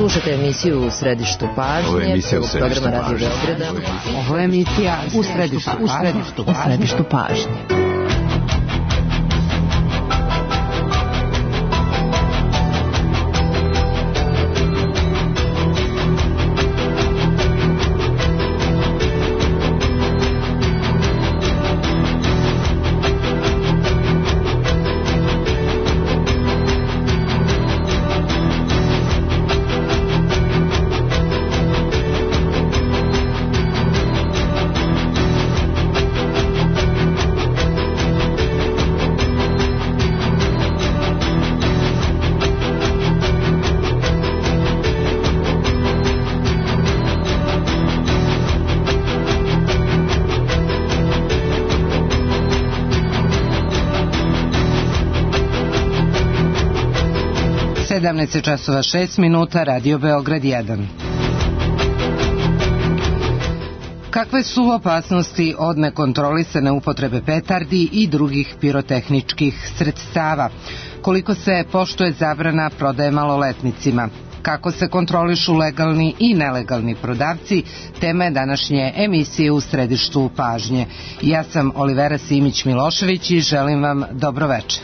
Slušajte emisiju U središtu pažnje. Ovo je emisija U središtu pažnje. Ovo je emisija U središtu pažnje. časova 6 minuta, Radio Beograd 1. Kakve su opasnosti od nekontrolisane upotrebe petardi i drugih pirotehničkih sredstava? Koliko se poštuje zabrana prodaje maloletnicima? Kako se kontrolišu legalni i nelegalni prodavci? Tema je današnje emisije U središtu pažnje. Ja sam Olivera Simić-Milošević i želim vam dobro večer.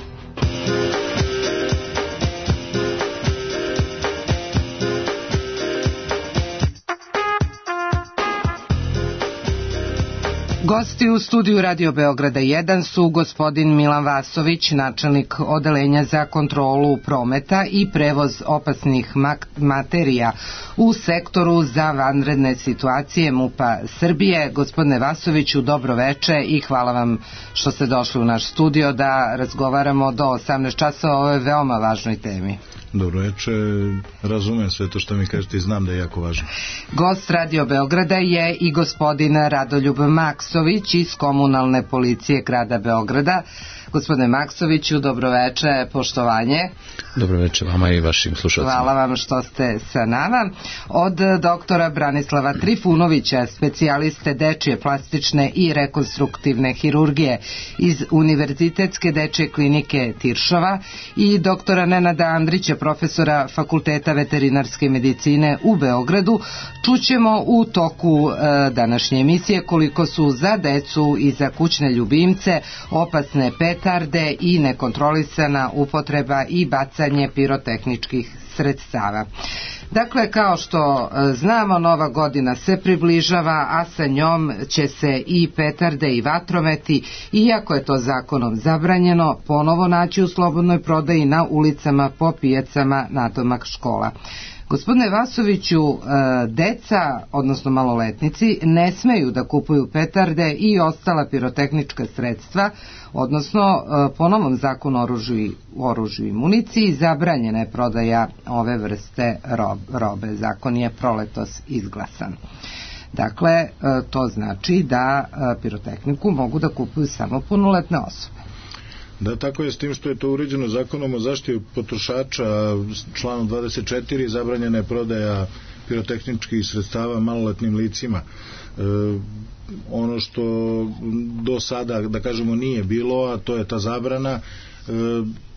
Gosti u studiju Radio Beograda 1 su gospodin Milan Vasović, načelnik Odeljenja za kontrolu prometa i prevoz opasnih materija u sektoru za vanredne situacije MUP-a Srbije. Gospodine Vasoviću, dobro veče i hvala vam što ste došli u naš studio da razgovaramo do 18 časova o ovoj veoma važnoj temi. Dobro veče, razumem sve to što mi kažete i znam da je jako važno. Gost Radio Beograda je i gospodin Radoljub Maksović iz Komunalne policije grada Beograda. Gospodine Maksoviću, dobro veče, poštovanje. Dobro veče vama i vašim slušalcima. Hvala vam što ste sa nama. Od doktora Branislava Trifunovića, specijaliste dečije plastične i rekonstruktivne hirurgije iz Univerzitetske dečije klinike Tiršova i doktora Nenada Andrića, profesora Fakulteta veterinarske medicine u Beogradu, čućemo u toku današnje emisije koliko su za decu i za kućne ljubimce opasne petarde i nekontrolisana upotreba i bacanje pirotehničkih sredstava. Dakle, kao što znamo, Nova godina se približava, a sa njom će se i petarde i vatrometi, iako je to zakonom zabranjeno, ponovo naći u slobodnoj prodaji na ulicama, po pijacama, nadomak škola. Gospodine Vasoviću, deca, odnosno maloletnici, ne smeju da kupuju petarde i ostala pirotehnička sredstva, odnosno po novom zakonu o oružju i municiji zabranjena je prodaja ove vrste robe. Zakon je proletos izglasan. Dakle, to znači da pirotehniku mogu da kupuju samo punoletne osobe. Da, tako je, s tim što je to uređeno zakonom o zaštiti potrošača, članom 24, zabranjena je prodaja pirotehničkih sredstava maloletnim licima. Ono što do sada, da kažemo, nije bilo, a to je ta zabrana,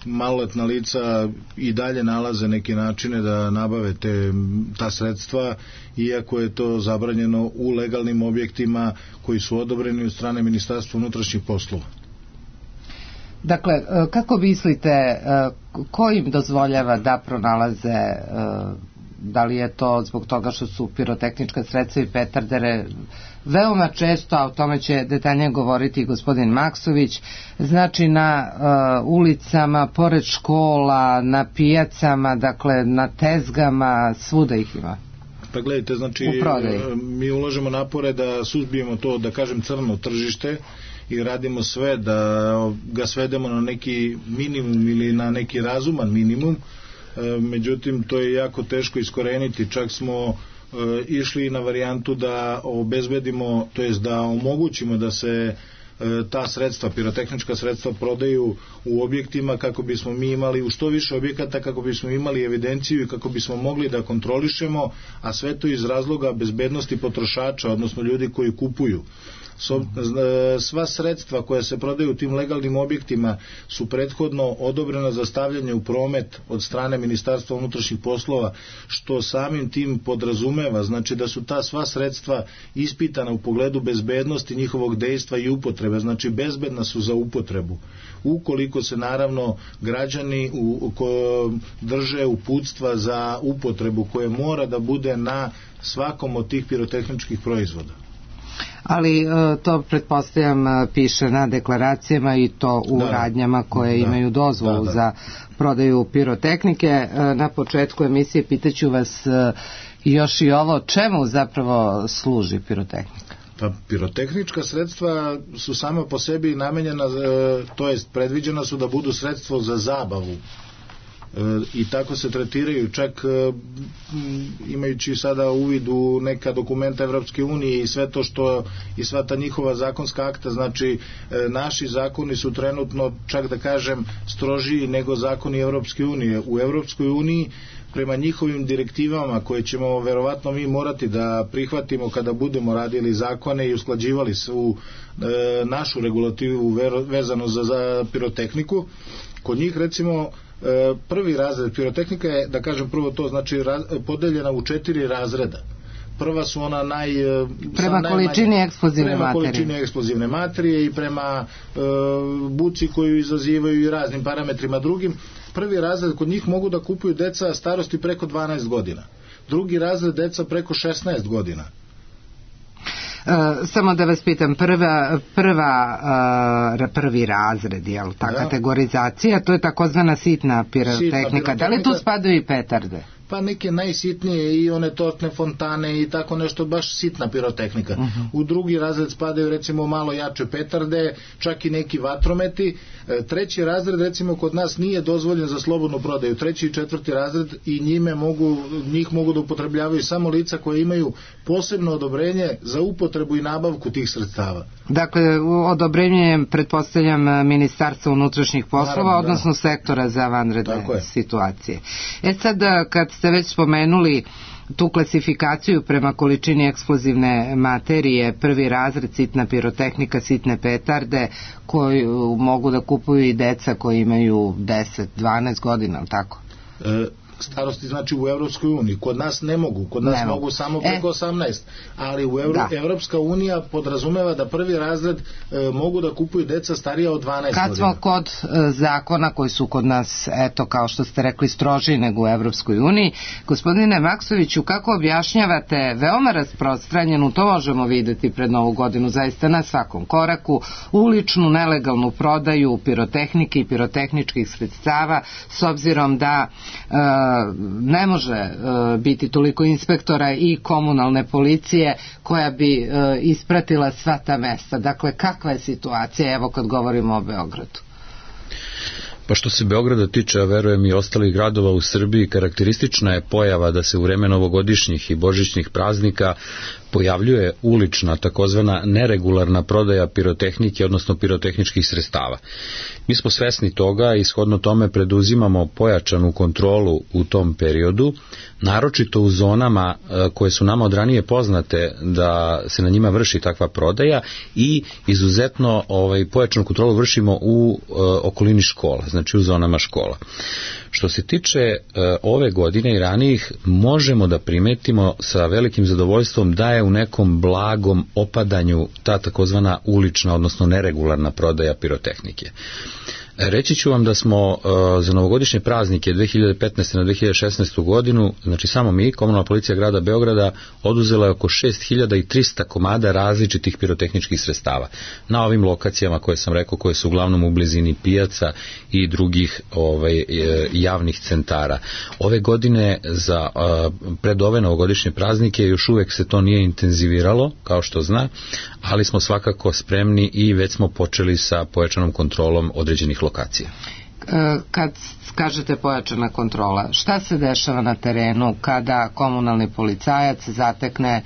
maloletna lica i dalje nalaze neke načine da nabave ta sredstva, iako je to zabranjeno u legalnim objektima koji su odobreni od strane Ministarstva unutrašnjih poslova. Dakle, kako mislite, ko im dozvoljava da pronalaze, da li je to zbog toga što su pirotehnička sredstva i petardere veoma često, a o tome će detaljnije govoriti gospodin Maksović, znači na ulicama, pored škola, na pijacama, dakle na tezgama, svuda ih ima? Pa gledajte, znači mi ulažemo napore da suzbijemo to, da kažem, crno tržište i radimo sve da ga svedemo na neki minimum ili na neki razuman minimum, međutim to je jako teško iskoreniti. Čak smo išli na varijantu da obezbedimo, to jest da omogućimo da se ta sredstva, pirotehnička sredstva prodaju u objektima kako bismo mi imali u što više objekata, kako bismo imali evidenciju i kako bismo mogli da kontrolišemo, a sve to iz razloga bezbednosti potrošača, odnosno ljudi koji kupuju Sva sredstva koja se prodaju u tim legalnim objektima su prethodno odobrena za stavljanje u promet od strane Ministarstva unutrašnjih poslova, što samim tim podrazumeva, znači da su ta sva sredstva ispitana u pogledu bezbednosti njihovog dejstva i upotrebe, znači bezbedna su za upotrebu. Ukoliko se naravno građani drže uputstva za upotrebu koje mora da bude na svakom od tih pirotehničkih proizvoda. Ali to pretpostavljam piše na deklaracijama i to u radnjama koje imaju dozvolu za prodaju pirotehnike. Na početku emisije pitaću vas još i ovo, čemu zapravo služi pirotehnika? Pa pirotehnička sredstva su sama po sebi namenjena, to jest predviđena su da budu sredstvo za zabavu i tako se tretiraju, čak imajući sada uvid u neka dokumenta Evropske unije i sve to što i sva ta njihova zakonska akta, znači naši zakoni su trenutno, čak da kažem, strožiji nego zakoni Evropske unije. U Evropskoj uniji prema njihovim direktivama koje ćemo verovatno mi morati da prihvatimo kada budemo radili zakone i usklađivali svu našu regulativu vezano za pirotehniku, kod njih recimo prvi razred pirotehnika je, da kažem prvo to, znači podeljena u 4 razreda. Prva su ona prema količini eksplozivne materije i prema buci koju izazivaju i raznim parametrima drugim. Prvi razred kod njih mogu da kupuju deca starosti preko 12 godina. Drugi razred deca preko 16 godina. Samo da vas pitam, prvi razred, je li ta kategorizacija, to je takozvana sitna pirotehnika. Da li tu spadaju i petarde? Pa neke najsitnije i one tortne fontane i tako nešto, baš sitna pirotehnika. U drugi razred spadaju recimo malo jače petarde, čak i neki vatrometi. Treći razred recimo kod nas nije dozvoljen za slobodnu prodaju. Treći i četvrti razred i njih mogu da upotrebljavaju samo lica koje imaju posebno odobrenje za upotrebu i nabavku tih sredstava. Dakle, odobrenje je, pretpostavljam, Ministarstva unutrašnjih poslova, odnosno sektora za vanredne situacije. Sad, kad ste već spomenuli tu klasifikaciju prema količini eksplozivne materije, prvi razred, sitna pirotehnika, sitne petarde, koju mogu da kupuju i deca koji imaju 10-12 godina, tako? Starosti znači u Evropskoj uniji. Kod nas ne mogu, kod nas mogu samo preko 18, ali u Evropska unija podrazumeva da prvi razred mogu da kupuju deca starija od 12 godina. Kad smo kod zakona koji su kod nas, eto, kao što ste rekli, strožiji nego u Evropskoj uniji, gospodine Maksoviću, kako objašnjavate veoma rasprostranjenu, to možemo videti pred Novu godinu, zaista na svakom koraku, uličnu nelegalnu prodaju pirotehnike i pirotehničkih sredstava, s obzirom da ne može biti toliko inspektora i komunalne policije koja bi ispratila sva ta mesta. Dakle, kakva je situacija, evo kad govorimo o Beogradu? Pa što se Beograda tiče, a verujem i ostalih gradova u Srbiji, karakteristična je pojava da se u vreme novogodišnjih i božićnih praznika pojavljuje ulična, takozvana neregularna prodaja pirotehnike, odnosno pirotehničkih sredstava. Mi smo svesni toga i shodno tome preduzimamo pojačanu kontrolu u tom periodu, naročito u zonama koje su nama od ranije poznate da se na njima vrši takva prodaja i izuzetno pojačanu kontrolu vršimo u okolini škola, znači u zonama škola. Što se tiče ove godine i ranijih, možemo da primetimo sa velikim zadovoljstvom da je u nekom blagom opadanju ta takozvana ulična, odnosno neregularna prodaja pirotehnike. Reći ću vam da smo za novogodišnje praznike 2015. na 2016. godinu, znači samo mi, komunalna policija grada Beograda, oduzela je oko 6300 komada različitih pirotehničkih sredstava na ovim lokacijama koje sam rekao, koje su uglavnom u blizini pijaca i drugih javnih centara. Ove godine pred ove novogodišnje praznike još uvek se to nije intenziviralo, kao što zna, ali smo svakako spremni i već smo počeli sa pojačanom kontrolom određenih lokacija. Kad kažete pojačana kontrola, šta se dešava na terenu kada komunalni policajac zatekne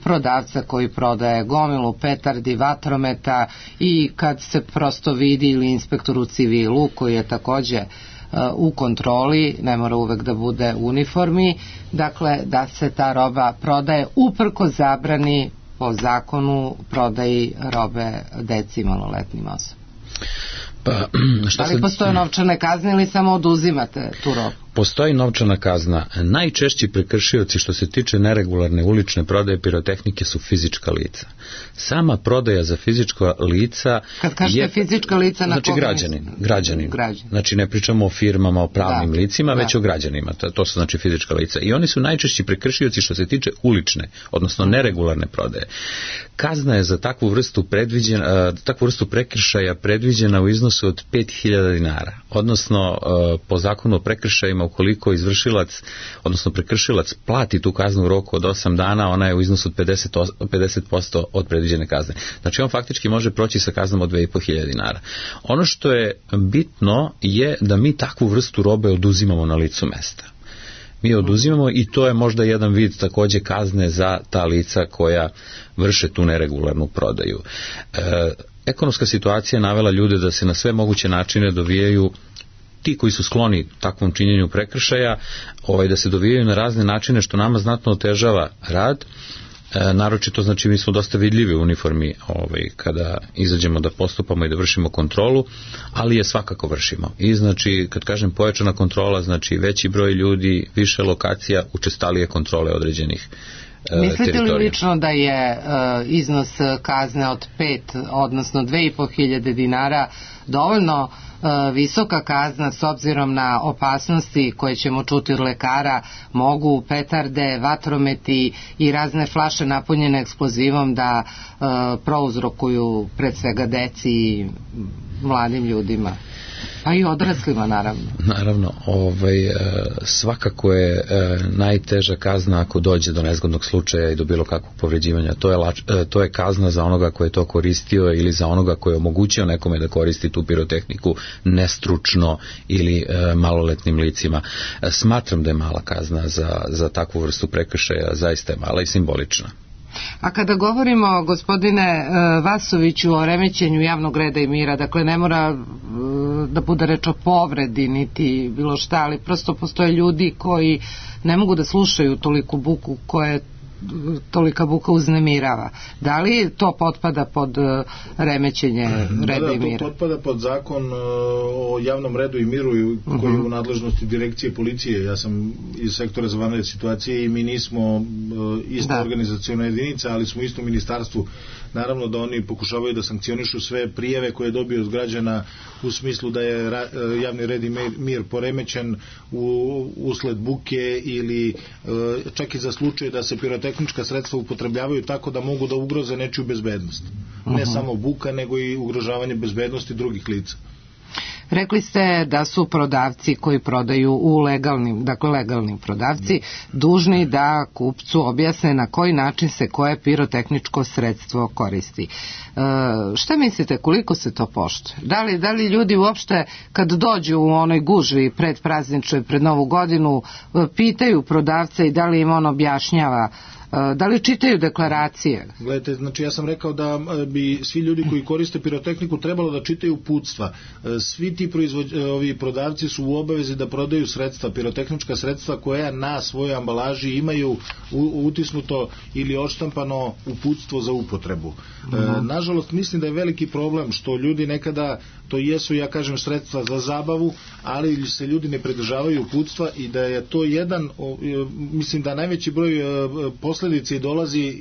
prodavca koji prodaje gomilu petardi, vatrometa i kad se prosto vidi ili inspektor u civilu koji je takođe u kontroli, ne mora uvek da bude u uniformi, dakle da se ta roba prodaje uprkos zabrani po zakonu prodaji robe deci i maloletnim osobama? Da li postoje novčane kazne ili samo oduzimate tu robu? Postoji novčana kazna. Najčešći prekršioci što se tiče neregularne ulične prodaje pirotehnike su fizička lica. Sama prodaja za fizička lica... Kad kažete fizička lica, na znači građanin. Znači ne pričamo o firmama, o pravnim licima, već o građanima. To su znači fizička lica. I oni su najčešći prekršioci što se tiče ulične, odnosno neregularne prodaje. Kazna je za takvu vrstu prekršaja predviđena u iznosu od 5.000 dinara. Odnosno po zakonu o prekršajima ukoliko izvršilac, odnosno prekršilac plati tu kaznu u roku od 8 dana, ona je u iznosu od 50% od predviđene kazne. Znači on faktički može proći sa kaznom od 2.500 dinara. Ono što je bitno je da mi takvu vrstu robe oduzimamo na licu mesta. Mi oduzimamo i to je možda jedan vid takođe kazne za ta lica koja vrše tu neregularnu prodaju. Ekonomska situacija je navela ljude da se na sve moguće načine dovijaju ti koji su skloni takvom činjenju prekršaja, da se dovijaju na razne načine što nama znatno otežava rad. Naročito, znači, mi smo dosta vidljivi u uniformi kada izađemo da postupamo i da vršimo kontrolu, ali je svakako vršimo. I znači, kad kažem pojačana kontrola, znači veći broj ljudi, više lokacija, učestalije kontrole određenih Mislite li lično da je iznos kazne od 5, odnosno 2.500 dinara dovoljno visoka kazna s obzirom na opasnosti koje ćemo čuti od lekara? Mogu petarde, vatrometi i razne flaše napunjene eksplozivom da prouzrokuju pred svega deci i mladim ljudima? Pa i odraslima, naravno. Naravno, svakako je najteža kazna ako dođe do nezgodnog slučaja i do bilo kakvog povređivanja. To je kazna za onoga ko je to koristio ili za onoga ko je omogućio nekome da koristi tu pirotehniku nestručno ili maloletnim licima. Smatram da je mala kazna za takvu vrstu prekršaja, zaista je mala i simbolična. A kada govorimo, gospodine Vasoviću, o remećenju javnog reda i mira, dakle ne mora da bude reč o povredi niti bilo šta, ali prosto postoje ljudi koji ne mogu da slušaju toliku buku koje tolika buka uznemirava. Da li to potpada pod remećenje reda i mira? To potpada pod zakon o javnom redu i miru koji je u nadležnosti direkcije policije. Ja sam iz sektora za vanredne situacije i mi nismo ista organizaciona jedinica, ali smo isto u ministarstvu. Naravno da oni pokušavaju da sankcionišu sve prijave koje je dobio od građana u smislu da je javni red i mir poremećen usled buke ili čak i za slučaj da se pirotehnička sredstva upotrebljavaju tako da mogu da ugroze nečiju bezbednost. Ne samo buka, nego i ugrožavanje bezbednosti drugih lica. Rekli ste da su prodavci koji prodaju u legalnim prodavci dužni da kupcu objasne na koji način se koje pirotehničko sredstvo koristi. Šta mislite, koliko se to poštuje? Da li ljudi uopšte kad dođu u onoj gužvi predprazničnoj, pred Novu godinu, pitaju prodavca i da li im on objašnjava? Da li čitaju deklaracije? Gledajte, znači ja sam rekao da bi svi ljudi koji koriste pirotehniku trebalo da čitaju uputstva. Svi ti prodavci su u obavezi da prodaju sredstva, pirotehnička sredstva koja na svojoj ambalaži imaju utisnuto ili odštampano uputstvo za upotrebu. Nažalost, mislim da je veliki problem što ljudi nekada, to jesu, ja kažem, sredstva za zabavu, ali se ljudi ne pridržavaju uputstva i da je to jedan, mislim da najveći broj posledice dolazi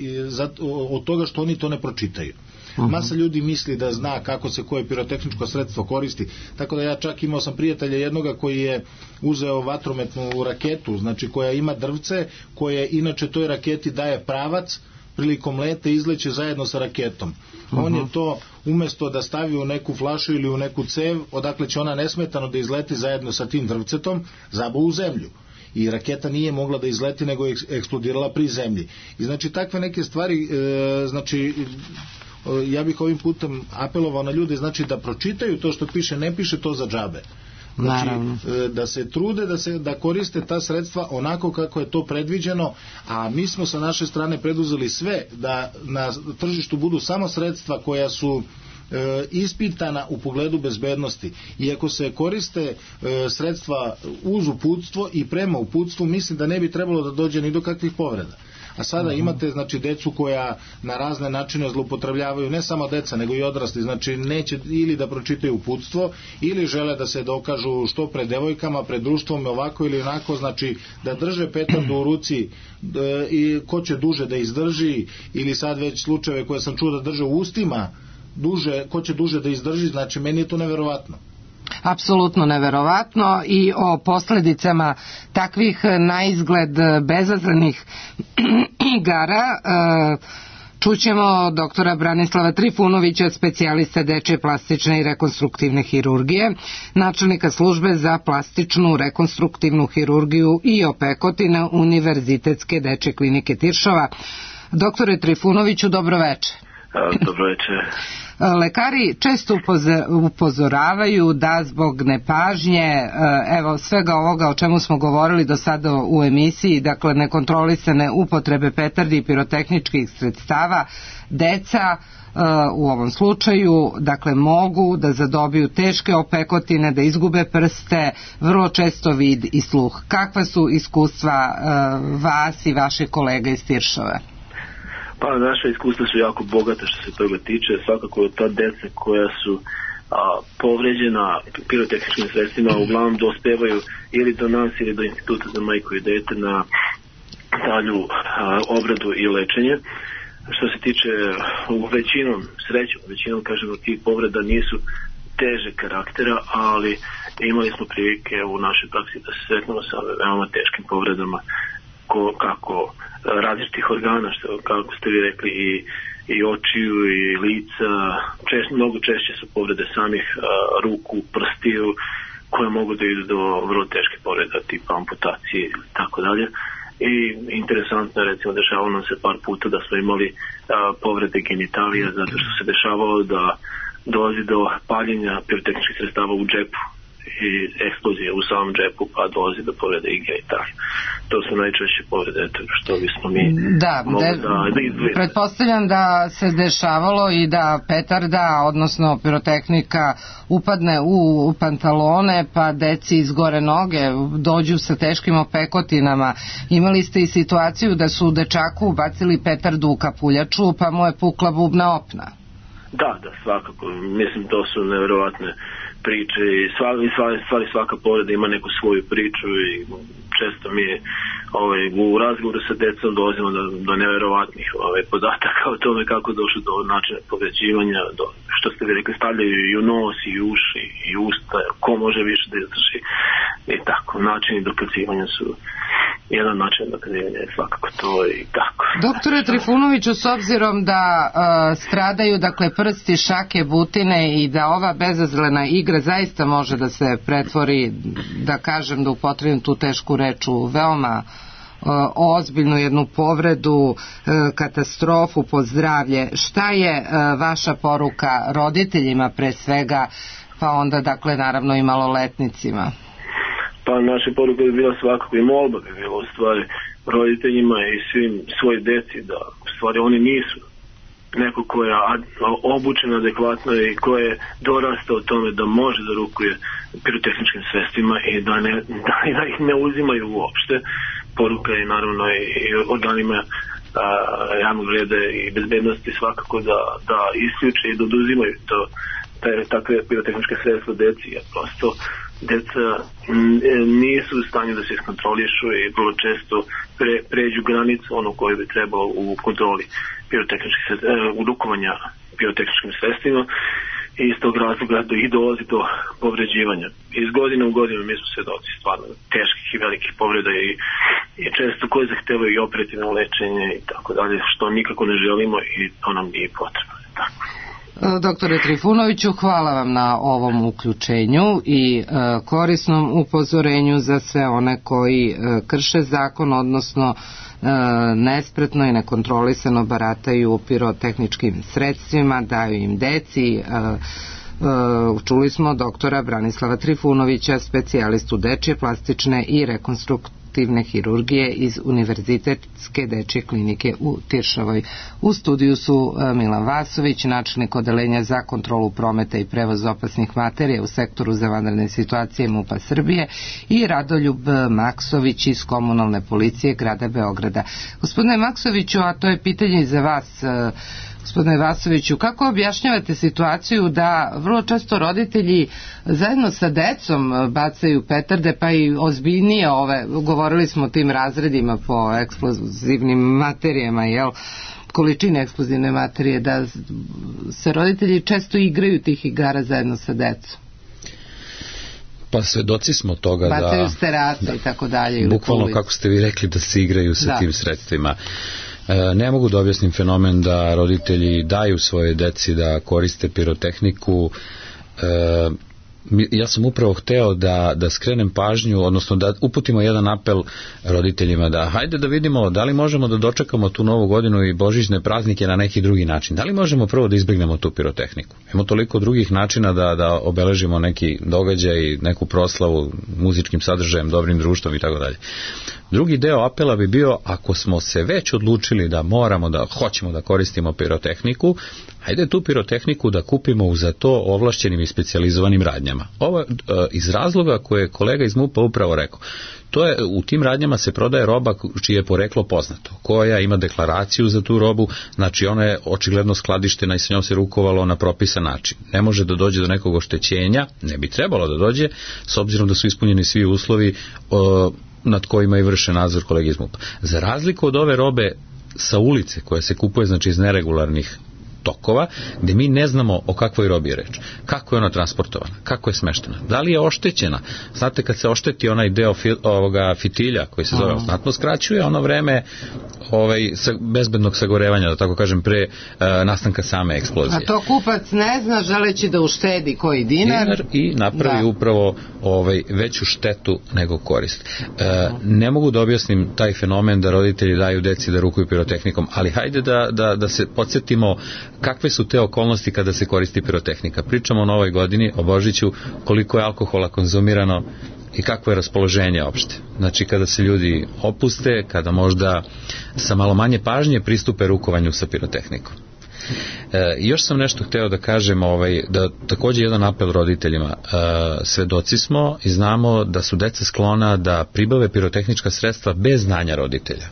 od toga što oni to ne pročitaju. Masa ljudi misli da zna kako se koje pirotehničko sredstvo koristi, tako da ja čak imao sam prijatelja jednoga koji je uzeo vatrometnu raketu, znači koja ima drvce, koje inače toj raketi daje pravac, prilikom lete izleće zajedno sa raketom. On je to umesto da stavi u neku flašu ili u neku cev, odakle će ona nesmetano da izleti zajedno sa tim drvcetom, zabao u zemlju. I raketa nije mogla da izleti, nego je eksplodirala pri zemlji. I znači takve neke stvari, znači ja bih ovim putem apelovao na ljude, znači da pročitaju to što piše, ne piše to za džabe. Znači, da se trude da koriste ta sredstva onako kako je to predviđeno, a mi smo sa naše strane preduzeli sve da na tržištu budu samo sredstva koja su ispitana u pogledu bezbednosti. I ako se koriste sredstva uz uputstvo i prema uputstvu, mislim da ne bi trebalo da dođe ni do kakvih povreda. A sada imate znači decu koja na razne načine zloupotrebljavaju, ne samo deca nego i odrasli, znači neće ili da pročitaju uputstvo ili žele da se dokažu što pred devojkama, pred društvom ovako ili onako, znači da drže petardu u ruci i ko će duže da izdrži, ili sad već slučajeve koje sam čuo da drže u ustima duže, ko će duže da izdrži, znači meni je to neverovatno. Apsolutno neverovatno. I o posledicama takvih naizgled bezazlenih igara čućemo doktora Branislava Trifunovića, specijaliste dečje plastične i rekonstruktivne hirurgije, načelnika službe za plastičnu rekonstruktivnu hirurgiju i opekotine Univerzitetske dečje klinike Tiršova. Doktore Trifunoviću, dobro veče. Dobro veče. Lekari često upozoravaju da zbog nepažnje, evo svega ovoga o čemu smo govorili do sada u emisiji, dakle nekontrolisane upotrebe petardi i pirotehničkih sredstava, deca u ovom slučaju dakle mogu da zadobiju teške opekotine, da izgube prste, vrlo često vid i sluh. Kakva su iskustva vas i vaših kolega iz Tiršove? Pa naša iskustva su jako bogata što se toga tiče. Svakako ta deca koja su povređena pirotehničkim sredstvima uglavnom dospevaju ili do nas ili do Instituta za majku i dete na dalju obradu i lečenje. Što se tiče većinom kažemo tih povreda nisu teže karaktera, ali imali smo prilike u našoj praksi da se sretnemo sa veoma teškim povredama kako različitih organa, što kako ste vi rekli i očiju i lica, mnogo češće su povrede samih ruku, prstiju, koje mogu da idu do vrlo teške povreda tipa amputacije ili tako dalje. I interesantno je, recimo, dešavalo nam se par puta da smo imali povrede genitalija zato što se dešavalo da dolazi do paljenja pirotehničkih sredstava u džepu i eksplozije u samom džepu, pa dolazi do povrede i genitalija. To su najčešće povrede što bismo mi mogli da izdvojimo. Pretpostavljam da se dešavalo i da petarda, odnosno pirotehnika, upadne u pantalone pa deci izgore noge, dođu sa teškim opekotinama. Imali ste i situaciju da su dečaku bacili petardu u kapuljaču pa mu je pukla bubna opna. Da, svakako. Mislim, to su neverovatne priče i svaka povreda ima neku svoju priču i često mi u razgovoru sa decom dolazimo do neverovatnih podataka o tome kako došlo do načina povređivanja, do, što ste vi rekli, stavljaju i u nos i uši i usta, ko može više da izdrži i tako. Načini dokazivanja su jedan način dokazivanja je svakako to i tako. Doktore Trifunoviću, s obzirom da stradaju dakle prsti, šake, butine i da ova bezazlena igra zaista može da se pretvori, da kažem, da upotrebim tu tešku reč, u veoma ozbiljnu jednu povredu, katastrofu po zdravlje. Šta je vaša poruka roditeljima pre svega, pa onda dakle naravno i maloletnicima? Pa naša poruka bi bila svakako i molba bi bila u stvari roditeljima i svim svoj deci da u stvari oni nisu neko ko je obučen adekvatno i ko je dorastao o tome da može da rukuje pirotehničkim sredstvima i da ih ne uzimaju uopšte. Poruka je naravno i organima javnog reda i bezbednosti svakako da isključe i da oduzimaju takve pirotehničke sredstva deci, jer prosto deca nisu u stanju da se iskontrolišu i vrlo često pređu granicu ono koje bi trebalo u kontroli u rukovanja pirotehničkim sredstvima i iz tog razloga i dolazi do povređivanja. Iz godine u godinu mi smo svedoci stvarno teških i velikih povreda i često koje zahtevaju i operativno lečenje i tako dalje, što nikako ne želimo i to nam nije potrebno. Tako. Doktore Trifunoviću, hvala vam na ovom uključenju i korisnom upozorenju za sve one koji krše zakon, odnosno nespretno i nekontrolisano barataju pirotehničkim sredstvima, daju im deci. Čuli smo doktora Branislava Trifunovića, specijalistu dečje plastične i rekonstruktivne hirurgije iz Univerzitetske dečje klinike u Tiršovoj. U studiju su Milan Vasović, načelnik odeljenja za kontrolu prometa i prevoz opasnih materija u sektoru za vanredne situacije MUP-a Srbije i Radoljub Maksović iz komunalne policije grada Beograda. Gospodine Maksoviću, a to je pitanje i za vas, gospodine Vasoviću, kako objašnjavate situaciju da vrlo često roditelji zajedno sa decom bacaju petarde, pa i ozbiljnije govorili smo o tim razredima po eksplozivnim materijama, količine eksplozivne materije, da se roditelji često igraju tih igara zajedno sa decom? Pa svedoci smo toga da bacaju sterace i tako dalje. Bukvalno, kako ste vi rekli, da se igraju sa tim sredstvima. Ne mogu da objasnim fenomen da roditelji daju svoje deci da koriste pirotehniku. Ja sam upravo hteo da skrenem pažnju, odnosno da uputimo jedan apel roditeljima da hajde da vidimo da li možemo da dočekamo tu novu godinu i božićne praznike na neki drugi način. Da li možemo prvo da izbegnemo tu pirotehniku? Imamo toliko drugih načina da obeležimo neki događaj, neku proslavu muzičkim sadržajem, dobrim društvom i tako dalje. Drugi deo apela bi bio, ako smo se već odlučili da hoćemo da koristimo pirotehniku, hajde tu pirotehniku da kupimo za to ovlašćenim i specijalizovanim radnjama. Ovo iz razloga koje je kolega iz MUP-a upravo rekao. U tim radnjama se prodaje roba čije je poreklo poznato, koja ima deklaraciju za tu robu, znači ona je očigledno skladištena i sa njom se rukovalo na propisan način. Ne može da dođe do nekog oštećenja, ne bi trebalo da dođe, s obzirom da su ispunjeni svi uslovi nad kojima i vrše nadzor kolege iz MUP-a. Za razliku od ove robe sa ulice koja se kupuje iz neregularnih tokova, gde mi ne znamo o kakvoj robi je reč, kako je ona transportovana, kako je smeštena, da li je oštećena. Znate, kad se ošteti onaj deo fitilja koji se zove, znatno skraćuje ono vreme bezbednog sagorevanja, da tako kažem, pre nastanka same eksplozije. A to kupac ne zna, želeći da uštedi koji dinar i napravi upravo veću štetu nego korist. Ne mogu da objasnim taj fenomen da roditelji daju deci da rukuju pirotehnikom, ali hajde da se podsjetimo kakve su te okolnosti kada se koristi pirotehnika. Pričamo o novoj godini, o Božiću, koliko je alkohola konzumirano i kakvo je raspoloženje opšte. Znači, kada se ljudi opuste, kada možda sa malo manje pažnje pristupe rukovanju sa pirotehnikom. Još sam nešto hteo da kažem, da takođe jedan apel roditeljima. Svedoci smo i znamo da su deca sklona da pribave pirotehnička sredstva bez znanja roditelja.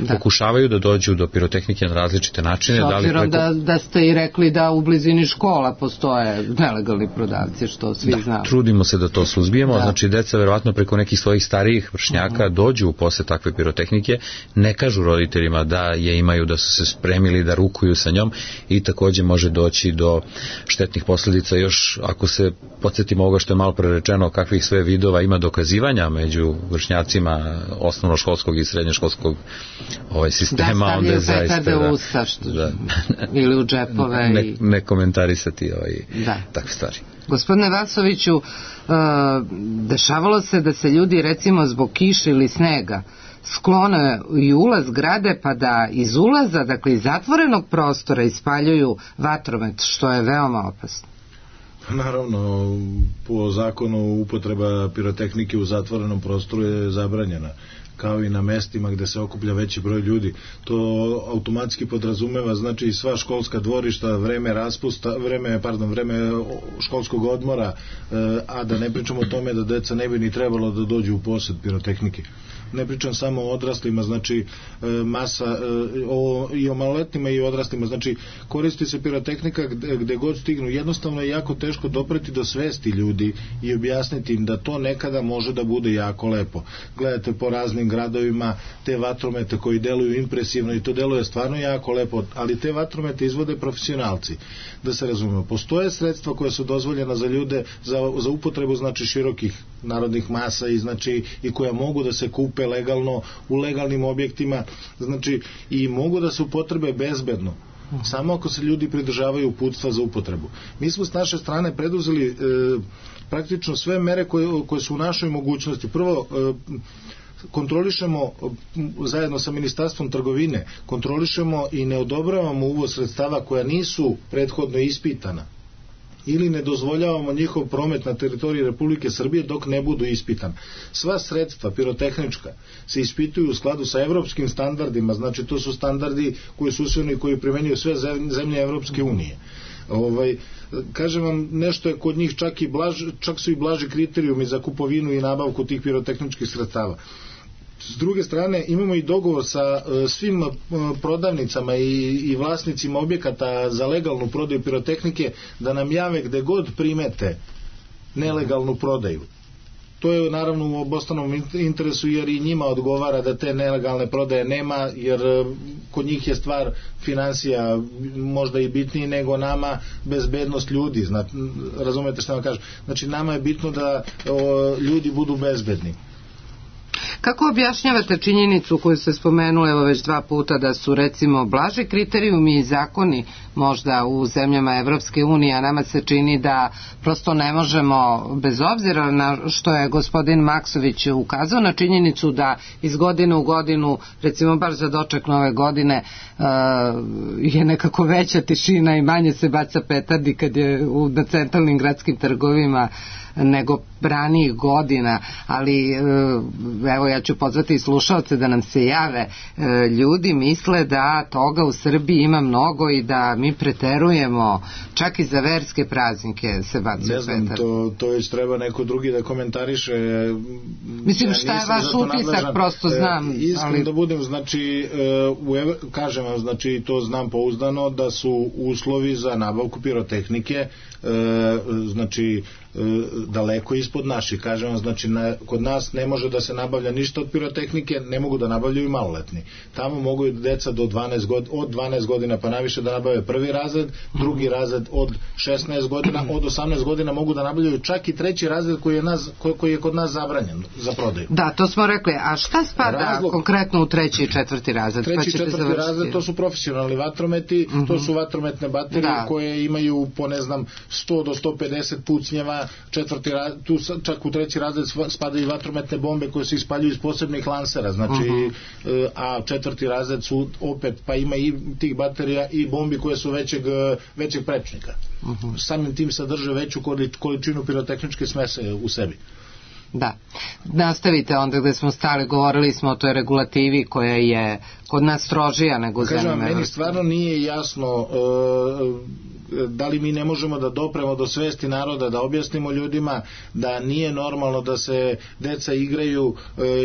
Pokušavaju da dođu do pirotehnike na različite načine. S obzirom da ste i rekli da u blizini škola postoje nelegalni prodavci, što svi znamo. Trudimo se da to suzbijemo, znači deca verovatno preko nekih svojih starijih vršnjaka dođu u posle takve pirotehnike, ne kažu roditeljima da je imaju, da su se spremili da rukuju sa njom i takođe može doći do štetnih posledica. Još ako se podsjetimo ovoga što je malo prerečeno, kakvih sve vidova ima dokazivanja među vršnjacima osnovnoškolskog i srednjoškolskog sistema, onda je zaista u usta ili u džepove ne komentarisati takve stvari. Gospodine Vasoviću, dešavalo se da se ljudi recimo zbog kiše ili snega sklone i ulaz grade, pa da iz ulaza, dakle iz zatvorenog prostora, ispaljuju vatromet, što je veoma opasno. Naravno, po zakonu upotreba pirotehnike u zatvorenom prostoru je zabranjena, kao i na mestima gde se okuplja veći broj ljudi. To automatski podrazumeva, znači, sva školska dvorišta, vreme školskog odmora, a da ne pričamo o tome da deca ne bi ni trebalo da dođu u posed pirotehnike. Ne pričam samo o odraslima, znači i o maloletnima i o odraslima, znači koristi se pirotehnika gde god stignu. Jednostavno je jako teško dopreti do svesti ljudi i objasniti im da to nekada može da bude jako lepo. Gledate po raznim gradovima te vatromete koji deluju impresivno i to deluje stvarno jako lepo, ali te vatromete izvode profesionalci. Da se razumemo, postoje sredstva koja su dozvoljena za ljude za upotrebu, znači, širokih narodnih masa i koja mogu da se kupe legalno u legalnim objektima, znači, i mogu da se upotrebe bezbedno, samo ako se ljudi pridržavaju uputstva za upotrebu. Mi smo s naše strane preduzeli praktično sve mere koje su u našoj mogućnosti. Prvo, kontrolišemo zajedno sa Ministarstvom trgovine, kontrolišemo i ne odobravamo uvoz sredstava koja nisu prethodno ispitana ili ne dozvoljavamo njihov promet na teritoriji Republike Srbije dok ne budu ispitani. Sva sredstva pirotehnička se ispituju u skladu sa evropskim standardima, znači to su standardi koji su usvojeni i koji primenjuju sve zemlje Evropske unije. Kažem vam, nešto je kod njih čak su i blaži kriterijumi za kupovinu i nabavku tih pirotehničkih sredstava. S druge strane, imamo i dogovor sa svim prodavnicama i vlasnicima objekata za legalnu prodaju pirotehnike da nam jave gde god primete nelegalnu prodaju. To je naravno u obostranom interesu, jer i njima odgovara da te nelegalne prodaje nema, jer kod njih je stvar finansija možda i bitniji nego nama bezbednost ljudi. Razumete što vam kažem? Znači nama je bitno da ljudi budu bezbedni. Kako objašnjavate činjenicu koju ste spomenuli evo već 2 puta da su recimo blaži kriterijumi i zakoni možda u zemljama Evropske unije, a nama se čini da prosto ne možemo, bez obzira na što je gospodin Maksović ukazao na činjenicu da iz godine u godinu, recimo baš za doček nove godine, je nekako veća tišina i manje se baca petardi kad je na centralnim gradskim trgovima nego ranijih godina, ali evo ja ću pozvati i slušalce da nam se jave. Ljudi misle da toga u Srbiji ima mnogo i da mi preterujemo, čak i za verske praznike se bacaju petarde. Ne znam, to već treba neko drugi da komentariše. Mislim, šta je vaš utisak, prosto znam. Iskreno da budem, znači, kažem vam, znači, to znam pouzdano da su uslovi za nabavku pirotehnike, znači, daleko ispod naših. Kažem vam, znači, kod nas ne može da se nabavlja ništa od pirotehnike, ne mogu da nabavljaju i maloletni. Tamo mogu i deca od 12 godina pa naviše da nabave prvi razred, drugi razred od 16 godina, od 18 godina mogu da nabavljaju čak i treći razred koji je kod nas zabranjen za prodaju. Da, to smo rekli. A šta spada konkretno u 3. i 4. razred? 3. i 4. razred, to su profesionalni vatrometi, to su vatrometne baterije koje imaju po, ne znam, 100 do 150 pucnjeva. Tu čak u 3. razred spadaju i vatrometne bombe koje se ispaljuju iz posebnih lansera, znači, a 4. razred su opet, pa ima i tih baterija i bombi koje su većeg prečnika. Samim tim sadrže veću količinu pirotehničke smese u sebi. Da. Nastavite onda gde smo stali, govorili smo o toj regulativi koja je kod nas strožija nego zemljama. Kažem, meni stvarno nije jasno da li mi ne možemo da dopremo do svesti naroda, da objasnimo ljudima da nije normalno da se deca igraju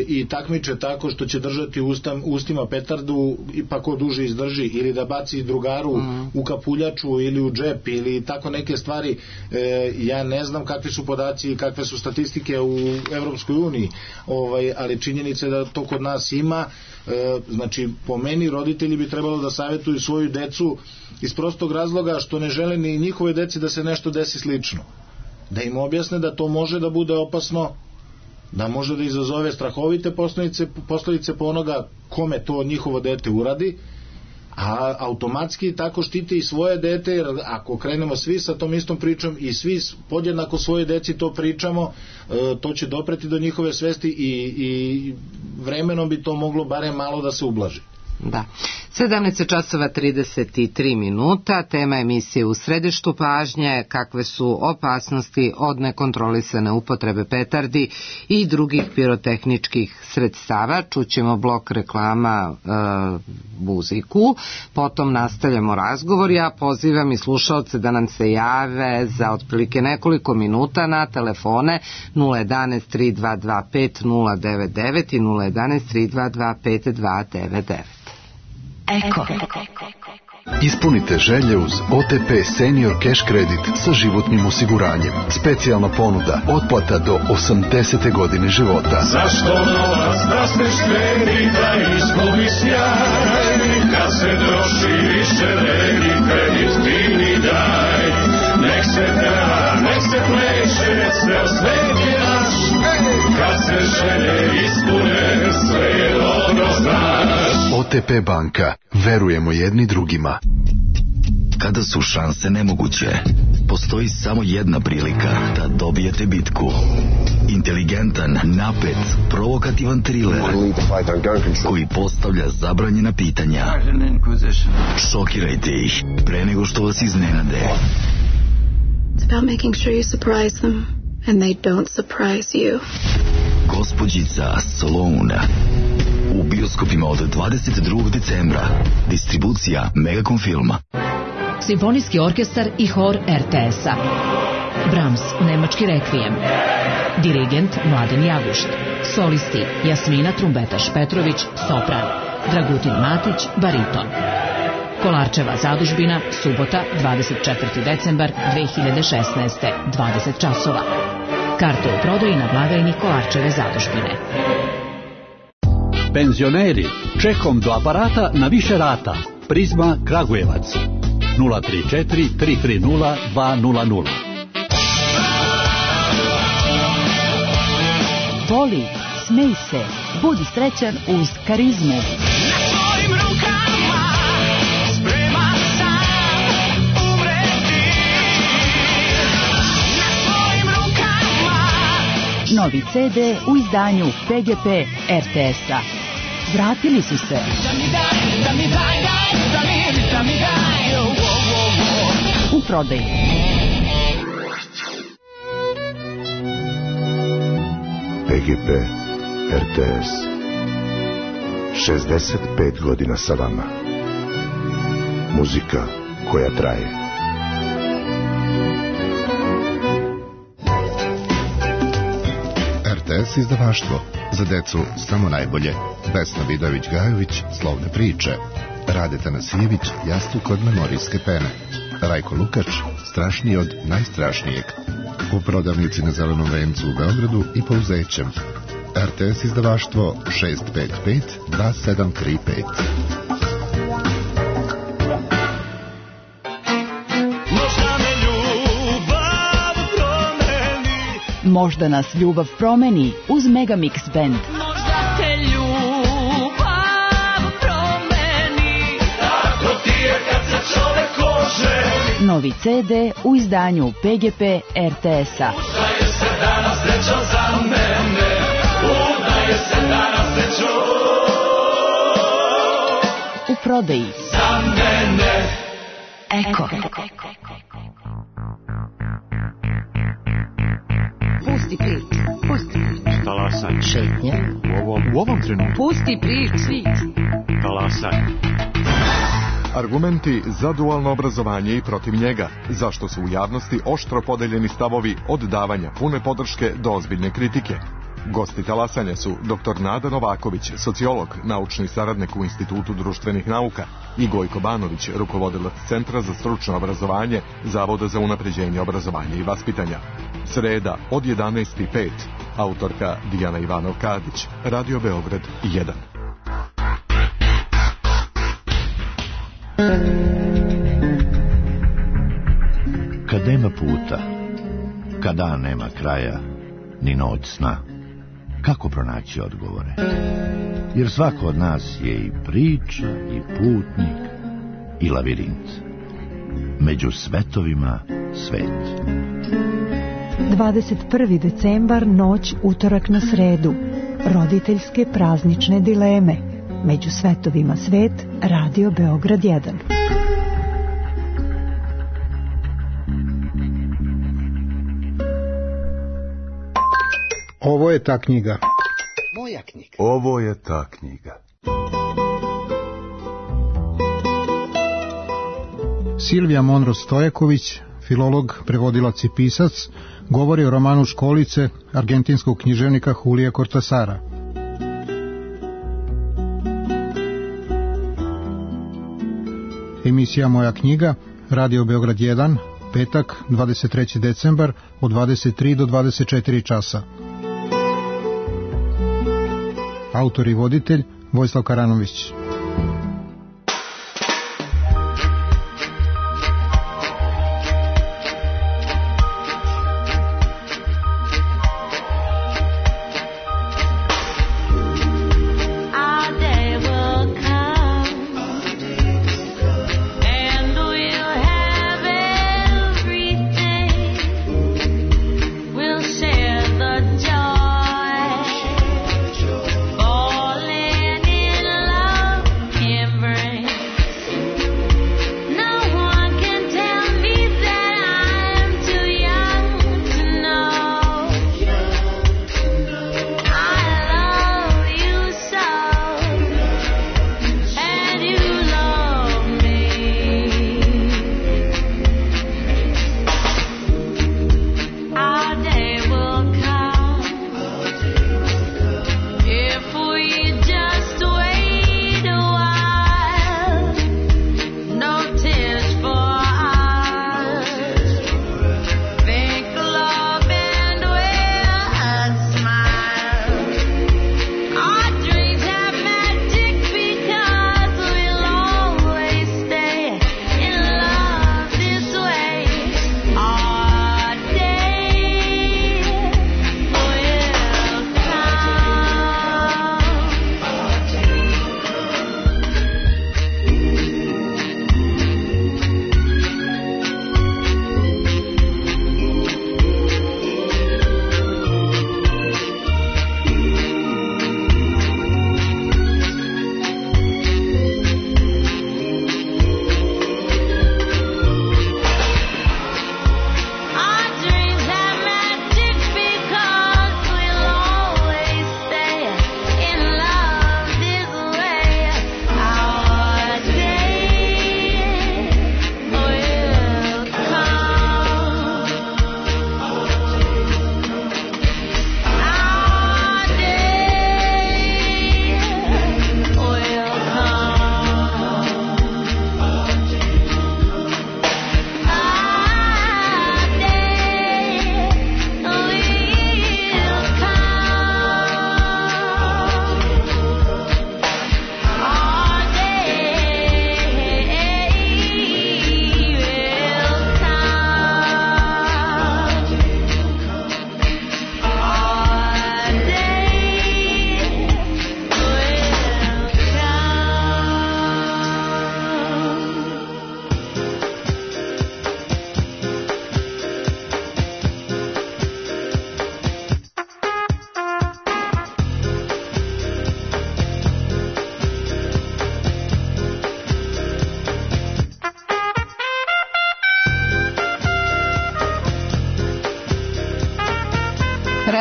i takmiče tako što će držati ustima petardu pa ko duže izdrži, ili da baci drugaru u kapuljaču ili u džep ili tako neke stvari. Ja ne znam kakvi su podaci i kakve su statistike u Evropskoj uniji, ali činjenica je da to kod nas ima. Znači, po meni roditelji bi trebalo da savjetuju svoju decu iz prostog razloga što ne žele ni njihove deci da se nešto desi slično, da im objasne da to može da bude opasno, da može da izazove strahovite posledice po onoga kome to njihovo dete uradi, a automatski tako štite i svoje dete, jer ako krenemo svi sa tom istom pričom i svi podjednako svoje deci to pričamo, to će dopreti do njihove svesti i vremenom bi to moglo barem malo da se ublaži. Da. 17:33, tema emisije U središtu pažnje, kakve su opasnosti od nekontrolisane upotrebe petardi i drugih pirotehničkih sredstava. Čućemo blok reklama, muziku, potom nastavljamo razgovor. Ja pozivam i slušalce da nam se jave za otprilike nekoliko minuta na telefone 011 3225 099 i 011 3225 299. Eko. Ispunite želje uz OTP Senior Cash Kredit sa životnim osiguranjem. Specijalna ponuda, otplata do 80. godine života. Zašto novac da se štedi, da izgubi sjaj? Kad se troši više vredi, kredit ti mi daj. Nek se peva, nek se pleše, sve svet je naš. Kad se želje ispune, sve je dobro znaš. OTP banka. Verujemo jedni drugima. Kada su šanse nemoguće, postoji samo jedna prilika da dobijete bitku. Inteligentan, napet, provokativan thriller koji postavlja zabranjena pitanja. Šokirajte ih pre nego što vas iznenade. It's about making sure you surprise them and they don't surprise you. Gospođica Sloane u bioskopima od 22. decembra. Distribucija Megacom filma. Simfonijski orkestar i hor RTS-a. Brahms, nemački rekvijem. Dirigent Mladen Jagušt. Solisti Jasmina Trumbetaš-Petrović, sopran. Dragutin Matić, bariton. Kolarčeva zadužbina, subota, 24. decembar 2016. 20 časova. Karte u prodaji na blagajni Kolarčeve zadužbine. Penzioneri, čekom do aparata na više rata. Prizma Kragujevac. 034 330 200. Voli, smej se, budi srećan uz Karizmu. Novi CD u izdanju PGP RTS-a. Vratili su se. U prodaji. PGP RTS. 65 godina sa vama. Muzika koja traje. RTS izdavaštvo. Za decu samo najbolje. Vesna Vidović-Gajović, Slovne priče. Rade Tanasijević, Jastuk od memorijske pene. Rajko Lukač, Strašniji od najstrašnijeg. U prodavnici na Zelenom vencu u Beogradu i po Uzećem. RTS izdavaštvo 655 2735. Možda nas ljubav promeni uz Megamix Band. Možda te ljubav promeni, tako ti je kad se čovek oženi. Novi CD u izdanju PGP RTS-a. Udaje se danas srećo za mene, udaje se danas srećo u prodaji. Za mene. Eko. Pusti priču, pusti priču. Talasaj. Šetnja. U ovom trenutku. Pusti priču. Talasaj. Argumenti za dualno obrazovanje i protiv njega. Zašto su u javnosti oštro podeljeni stavovi od davanja pune podrške do ozbiljne kritike. Gosti talasanja su dr. Nada Novaković, sociolog, naučni saradnik u Institutu društvenih nauka, i Gojko Banović, rukovodilac Centra za stručno obrazovanje Zavoda za unapređenje obrazovanja i vaspitanja. Sreda od 11:05. Autorka Dijana Ivanov-Kadić. Radio Beograd 1. Kad nema puta, kad dan nema kraja, ni noć sna, kako pronaći odgovore? Jer svako od nas je i priča, i putnik, i lavirint. Među svetovima svet. 21. decembar, noć utorak na sredu. Roditeljske praznične dileme. Među svetovima svet, Radio Beograd 1. Ovo je ta knjiga. Moja knjiga. Ovo je ta knjiga. Silvija Monroe Stojaković, filolog, prevodilac i pisac, govori o romanu Školice argentinskog književnika Julija Cortasara. Emisija Moja knjiga, Radio Beograd 1, petak, 23. decembar, od 23 do 24 časa. Autor i voditelj Vojislav Karanović. Falling in love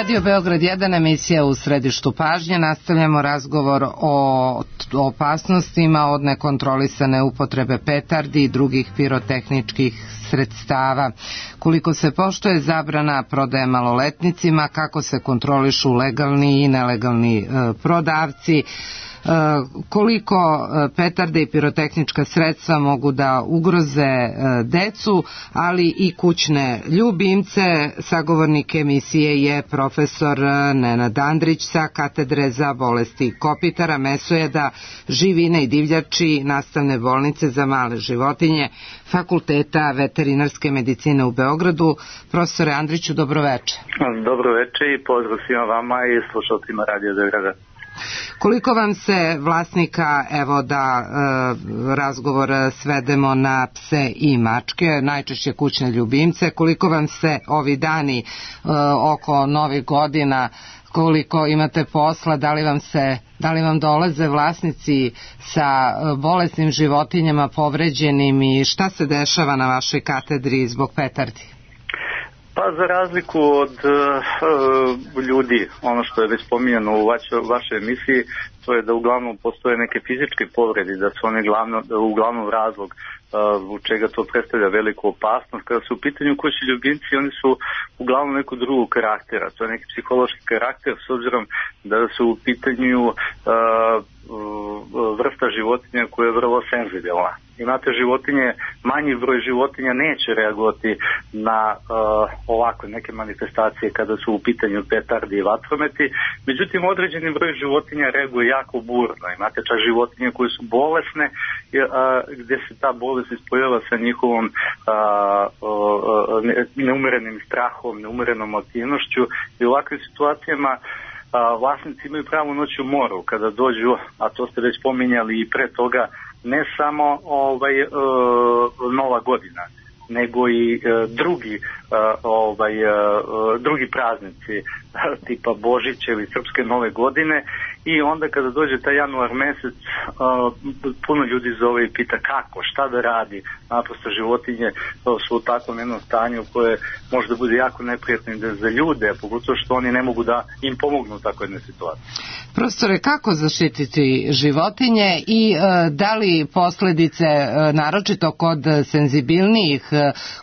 Radio Beograd 1, emisija U središtu pažnje. Nastavljamo razgovor o opasnostima od nekontrolisane upotrebe petardi i drugih pirotehničkih sredstava. Koliko se poštuje zabrana prodaje maloletnicima, kako se kontrolišu legalni i nelegalni prodavci, koliko petarde i pirotehnička sredstva mogu da ugroze decu, ali i kućne ljubimce. Sagovornik emisije je profesor Nenad Andrić sa katedre za bolesti kopitara, mesojeda, živine i divljači Nastavne bolnice za male životinje Fakulteta veterinarske medicine u Beogradu. Profesore Andriću, dobroveče. Dobroveče i pozdrav svima vama i slušalcima Radio Beograda. Koliko vam se vlasnika, evo da razgovor svedemo na pse i mačke, najčešće kućne ljubimce, koliko vam se ovi dani oko novih godina, koliko imate posla, da li vam dolaze vlasnici sa bolesnim životinjama, povređenim, i šta se dešava na vašoj katedri zbog petardi? Pa za razliku od ljudi, ono što je već spominjano u vašoj emisiji, to je da uglavnom postoje neke fizičke povrede, da su one uglavnom razlog u čega to predstavlja veliku opasnost. Kada su u pitanju kućni ljubimci, oni su uglavnom nekog drugog karaktera, to je neki psihološki karakter, s obzirom da su u pitanju vrsta životinja koja je vrlo senzibilna. Imate životinje, manji broj životinja neće reagovati na ovakve neke manifestacije kada su u pitanju petardi i vatrometi, međutim određeni broj životinja reaguje jako burno. Imate čak životinje koje su bolesne, gdje se ta bolest ispojava sa njihovom neumerenim strahom, neumerenom aktivnošću, i u ovakvim situacijama vlasnici imaju pravu noć u moru kada dođu, a to ste već pominjali i pre toga, ne samo Nova godina, nego i drugi praznici tipa Božića ili Srpske nove godine, i onda kada dođe taj januar mesec, puno ljudi zove i pita kako, šta da radi. Naprosto životinje su u takvom jednom stanju koje možda bude jako neprijatno za ljude, pogotovo što oni ne mogu da im pomognu u takvoj jednoj situaciji. Profesore, kako zaštititi životinje i da li posledice, naročito kod senzibilnijih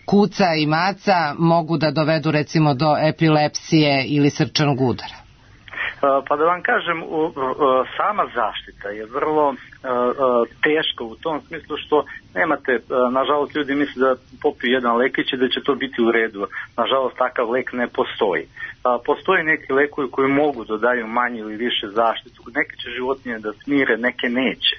kuca i maca, mogu da dovedu recimo do epilepsije ili srčanog udara? Pa da vam kažem, sama zaštita je vrlo teška u tom smislu što nemate, nažalost ljudi misle da popiju jedan lekić i da će to biti u redu. Nažalost takav lek ne postoji. Postoje neki lekovi koji mogu da daju manje ili više zaštitu. Neke će životinje da smire, neke neće.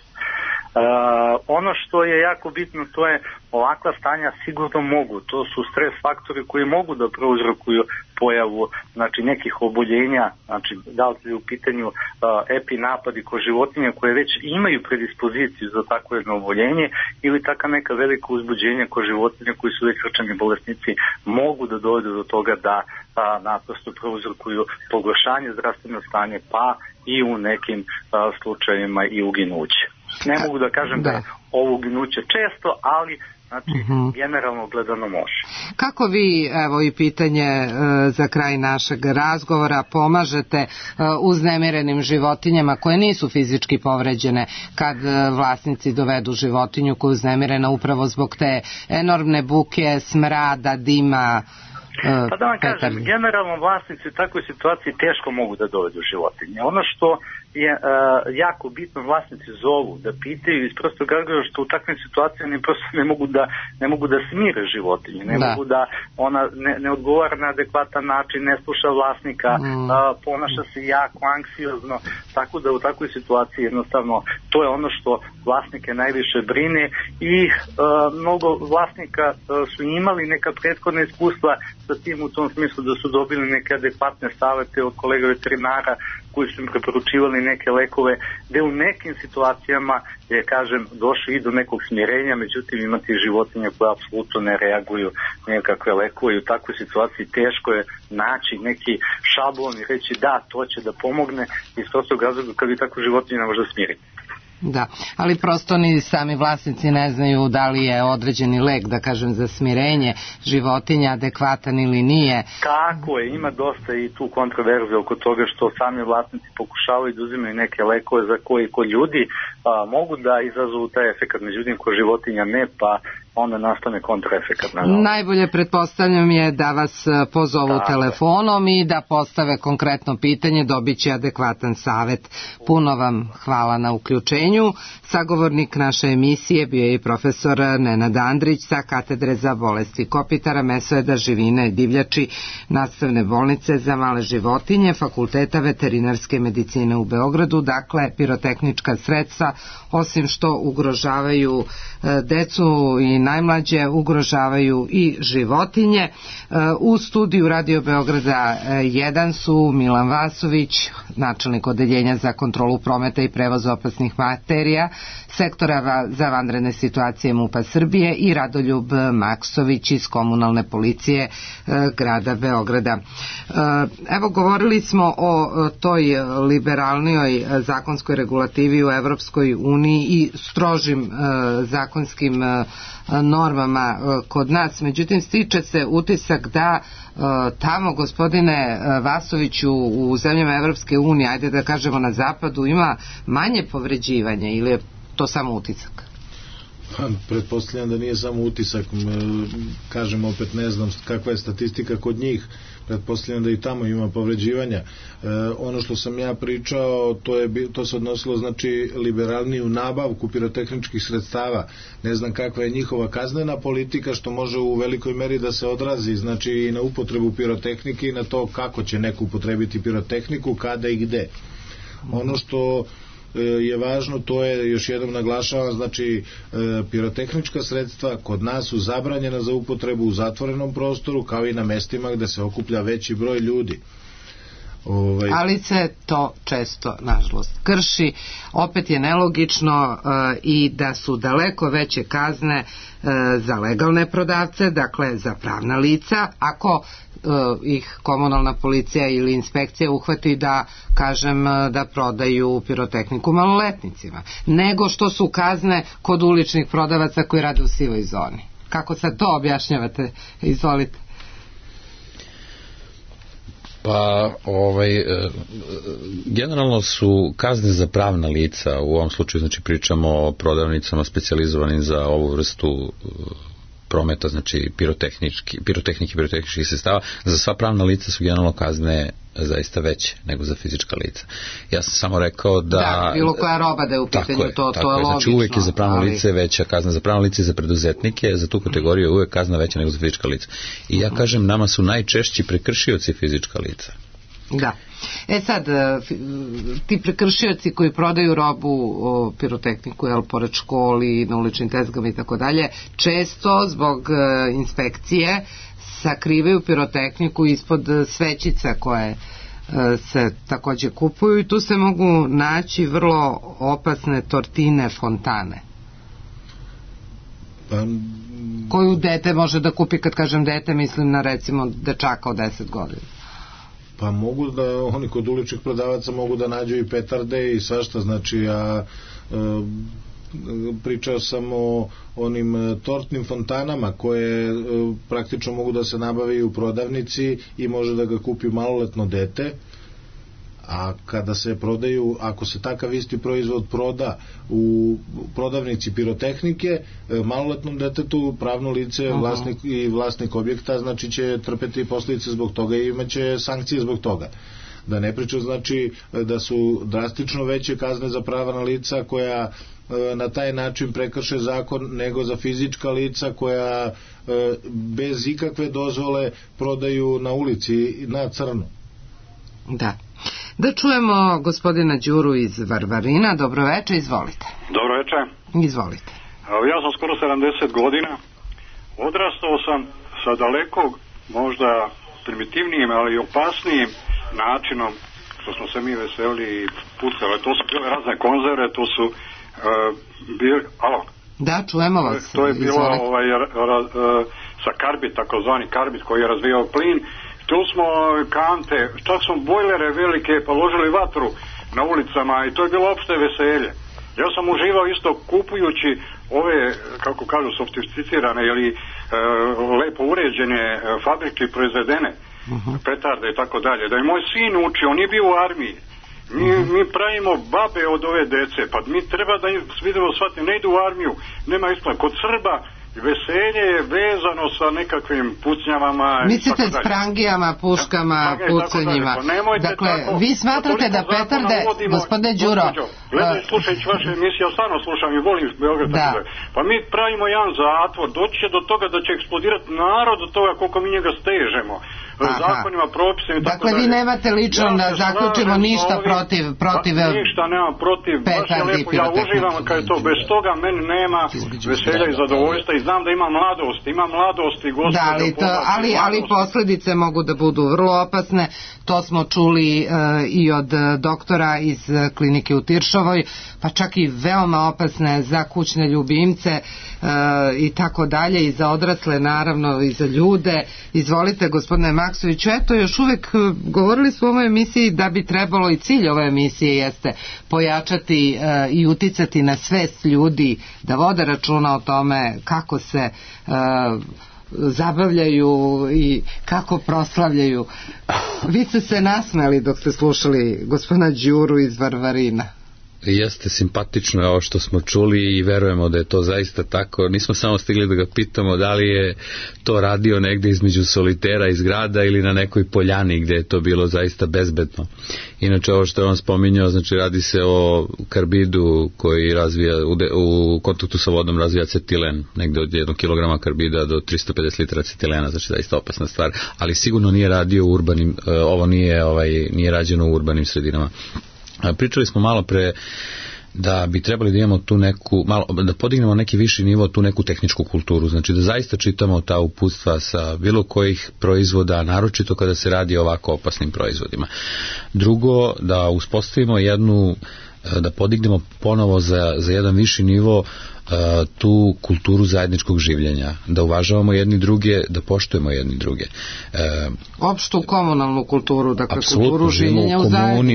Ono što je jako bitno, to je ovakva stanja sigurno mogu, to su stres faktori koji mogu da prouzrokuju pojavu, znači, nekih oboljenja, znači da li je u pitanju epinapadi kod životinja koje već imaju predispoziciju za takvo jedno oboljenje, ili taka neka velika uzbuđenja kod životinja koji su već srčani bolesnici, mogu da dovedu do toga da naprosto prouzrokuju pogoršanje zdravstveno stanje, pa i u nekim slučajevima i uginuće. Ne mogu da kažem da je ovo uginuće često, ali znači generalno gledano može. Kako vi, evo i pitanje za kraj našeg razgovora, pomažete uznemirenim životinjama koje nisu fizički povređene kad vlasnici dovedu životinju koja je uznemirena upravo zbog te enormne buke, smrada, dima? Pa da vam kažem, generalno vlasnici u takvoj situaciji teško mogu da dovedu životinje. Ono što je jako bitno, vlasnici zovu da pitaju iz prostog razloga što u takvim situacijama prosto ne mogu da smire životinje, mogu da ona ne odgovara na adekvatan način, ne sluša vlasnika, ponaša se jako anksiozno, tako da u takvoj situaciji jednostavno to je ono što vlasnike najviše brine, i mnogo vlasnika su imali neka prethodna iskustva sa tim, u tom smislu da su dobili neke adekvatne savete od kolega veterinara koji su im preporučivali neke lekove, gde u nekim situacijama je, kažem, došli i do nekog smirenja, međutim imate životinje koje apsolutno ne reaguju nekakve lekove, i u takvoj situaciji teško je naći neki šablon i reći da, to će da pomogne, iz prostog razloga kad vi takvu životinju ne može smiriti. Da, ali prosto ni sami vlasnici ne znaju da li je određeni lek, da kažem, za smirenje životinja adekvatan ili nije. Kako je, ima dosta i tu kontroverze oko toga što sami vlasnici pokušavaju da uzimaju neke lekove za koji kod ljudi mogu da izazovu taj efekat, međutim kod životinja ne, pa onda nastane kontraefekat. Najbolje, pretpostavljam, je da vas pozovu telefonom i da postave konkretno pitanje, dobit će adekvatan savet. Puno vam hvala na uključenju. Sagovornik naše emisije bio je i profesor Nenad Andrić sa katedre za bolesti kopitara, mesojeda, živine i divljači Nastavne bolnice za male životinje Fakulteta veterinarske medicine u Beogradu. Dakle, pirotehnička sredstva, osim što ugrožavaju decu i najmlađe, ugrožavaju i životinje. U studiju Radio Beograda 1 su Milan Vasović, načelnik odeljenja za kontrolu prometa i prevoz opasnih materija sektora za vanredne situacije MUP-a Srbije, i Radoljub Maksović iz komunalne policije grada Beograda. Evo, govorili smo o toj liberalnijoj zakonskoj regulativi u Evropskoj uniji i strožim zakonskim normama kod nas, međutim stiče se utisak da tamo, gospodine Vasoviću, u zemljama Evropske unije, ajde da kažemo na zapadu, ima manje povređivanja, ili je to samo utisak? Pretpostavljam da nije samo utisak, kažem opet, ne znam kakva je statistika kod njih, pretpostavljam da i tamo ima povređivanja. Ono što sam ja pričao, to se odnosilo, znači, liberalniju nabavku pirotehničkih sredstava. Ne znam kakva je njihova kaznena politika, što može u velikoj meri da se odrazi, znači, i na upotrebu pirotehnike i na to kako će neko upotrebiti pirotehniku, kada i gde. Ono što je važno, to je, još jednom naglašavam, znači, pirotehnička sredstva kod nas su zabranjena za upotrebu u zatvorenom prostoru, kao i na mestima gde se okuplja veći broj ljudi. Ali se to često, nažalost, krši. Opet je nelogično i da su daleko veće kazne za legalne prodavce, dakle za pravna lica, ako ih komunalna policija ili inspekcija uhvati da, kažem, da prodaju pirotehniku maloletnicima, nego što su kazne kod uličnih prodavaca koji rade u sivoj zoni. Kako sad to objašnjavate? Izvolite. Pa, generalno su kazne za pravna lica, u ovom slučaju, znači, pričamo o prodavnicama specijalizovanim za ovu vrstu prometa, znači pirotehničkih sredstava. Za sva pravna lica su generalno kazne zaista veće nego za fizička lica. Ja sam samo rekao da bilo koja roba da je u pitanju, to je logično. Znači, uvijek je za pravno lice veća kazna, za pravno lice i za preduzetnike, za tu kategoriju je uvijek kazna veća nego za fizička lica. I ja kažem, nama su najčešći prekršioci fizička lica. Da. Sad, ti prekršioci koji prodaju robu, pirotehniku, pored školi, na uličnim tezgama i tako dalje, često zbog inspekcije sakrivaju pirotehniku ispod svećica koje se takođe kupuju, i tu se mogu naći vrlo opasne tortine fontane koju dete može da kupi. Kad kažem dete, mislim na, recimo, dečaka od 10 godina. Pa mogu da, oni kod uličnih prodavaca mogu da nađu i petarde i svašta, znači, ja pričao sam o onim tortnim fontanama koje praktično mogu da se nabave u prodavnici i može da ga kupi maloletno dete, a kada se prodaju, ako se takav isti proizvod proda u prodavnici pirotehnike, maloletnom detetu, pravno lice, vlasnik objekta, znači, će trpeti posljedice zbog toga i imaće sankcije zbog toga. Da ne pričam, znači, da su drastično veće kazne za pravna lica koja na taj način prekrše zakon, nego za fizička lica koja bez ikakve dozvole prodaju na ulici na crno. Da. Da čujemo gospodina Đuru iz Varvarina. Dobro večer, izvolite. Dobro večer. Izvolite. Ja sam skoro 70 godina. Odrastao sam sa daleko, možda primitivnijim, ali opasnijim načinom što smo se mi veseli i pucali. To su bile razne konzerve, to su bili... Alo? Da, čujemo vas. To je bilo sa karbid, takozvani karbid koji je razvijao plin. Tu smo kante, čak smo bojlere velike položili vatru na ulicama i to je bilo opšte veselje. Ja sam uživao isto kupujući ove, kako kažu, sofisticirane ili lepo uređene fabrike proizvedene, petarde i tako dalje. Da je moj sin učio, on je bio u armiji. Mi pravimo babe od ove dece, pa mi treba da im vidimo shvatiti, ne idu u armiju, nema isplata. Kod Srba veselje je vezano sa nekakvim pucnjavama. Mislite s prangijama, puškama, pucanjima. Dakle, vi smatrate da petarde, gospodine Đuro... Gledaj, slušajući vaše emisije, ja stvarno slušam i volim Beograd. Pa mi pravimo jedan zatvor, doći će do toga da će eksplodirati narod od toga koliko mi njega stežemo. Zakonima, propisima i tako dakle, vi nemate lično da zaključimo ništa protiv ništa nemam protiv, baš je lepo, ja uživam kad je to, bez toga meni nema veselja i zadovoljstva i znam da ima mladosti ali posledice mogu da budu vrlo opasne, to smo čuli i od doktora iz klinike u Tiršovoj, pa čak i veoma opasne za kućne ljubimce i tako dalje, i za odrasle naravno, i za ljude. Izvolite, gospodine Maksoviću, eto, još uvek govorili smo o ovoj emisiji da bi trebalo, i cilj ove emisije jeste pojačati i uticati na svest ljudi da vode računa o tome kako se zabavljaju i kako proslavljaju. Vi ste se nasmeli dok ste slušali gospodina Đuru iz Varvarina. Jeste simpatično ovo što smo čuli i verujemo da je to zaista tako. Nismo samo stigli da ga pitamo da li je to radio negde između solitera iz grada ili na nekoj poljani gde je to bilo zaista bezbedno. Inače, ovo što je on spominjao, znači radi se o karbidu koji razvija, u kontaktu sa vodom razvija acetilen, negde od 1 kilograma karbida do 350 litara acetilena, znači zaista opasna stvar, ali sigurno nije radio u urbanim, ovo nije rađeno u urbanim sredinama. Pričali smo malo pre da bi trebali da imamo tu neku, da podignemo neki viši nivo, tu neku tehničku kulturu, znači da zaista čitamo ta uputstva sa bilo kojih proizvoda, naročito kada se radi o ovako opasnim proizvodima. Drugo, da uspostavimo da podignemo ponovo za jedan viši nivo tu kulturu zajedničkog življenja, da uvažavamo jedni druge, da poštujemo jedni druge. Opštu komunalnu kulturu, dakle kulturu življenja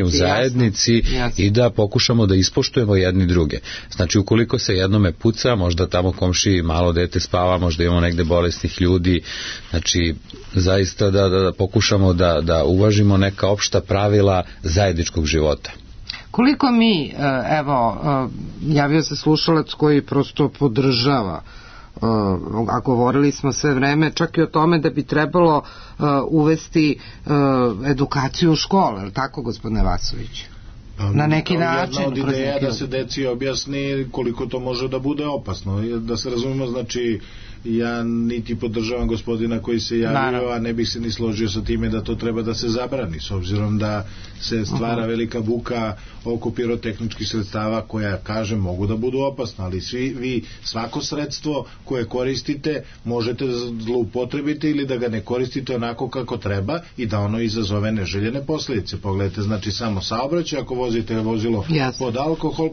u zajednici i da pokušamo da ispoštujemo jedni druge. Znači, ukoliko se jednome puca, možda tamo komši malo dete spava, možda imamo negde bolesnih ljudi, znači zaista da pokušamo da uvažimo neka opšta pravila zajedničkog života. Koliko mi, evo, javio se slušalac koji prosto podržava, a govorili smo sve vreme čak i o tome da bi trebalo uvesti edukaciju u škole, je li tako, gospodine Vasović? Na neki način. Jedna od ideja da se deci objasni koliko to može da bude opasno. Da se razumemo, znači, ja niti podržavam gospodina koji se javio, a ne bih se ni složio sa time da to treba da se zabrani, s obzirom da se stvara velika buka oko pirotehničkih sredstava koja, kažem, mogu da budu opasna, ali svako sredstvo koje koristite možete zloupotrebiti ili da ga ne koristite onako kako treba i da ono izazove neželjene posljedice. Pogledajte, znači, samo saobraćaj, ako vozite vozilo pod alkohol,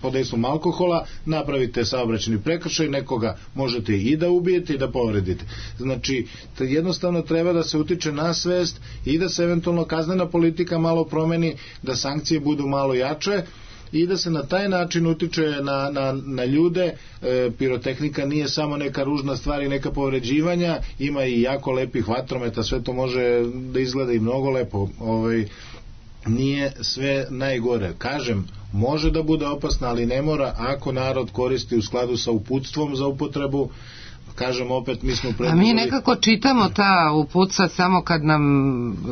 pod dejstvom alkohola, napravite saobraćajni prekršaj, nekoga možete i da ubijete i da povredite. Znači, jednostavno treba da se utiče na svest i da se eventualno kaznena politika malo promeni, da sankcije budu malo jače i da se na taj način utiče na ljude. Pirotehnika nije samo neka ružna stvar i neka povređivanja, ima i jako lepih vatrometa, sve to može da izgleda i mnogo lepo. Nije sve najgore. Kažem, može da bude opasna, ali ne mora ako narod koristi u skladu sa uputstvom za upotrebu. Kažem opet, mi smo a mi nekako čitamo ta uputstva samo kad nam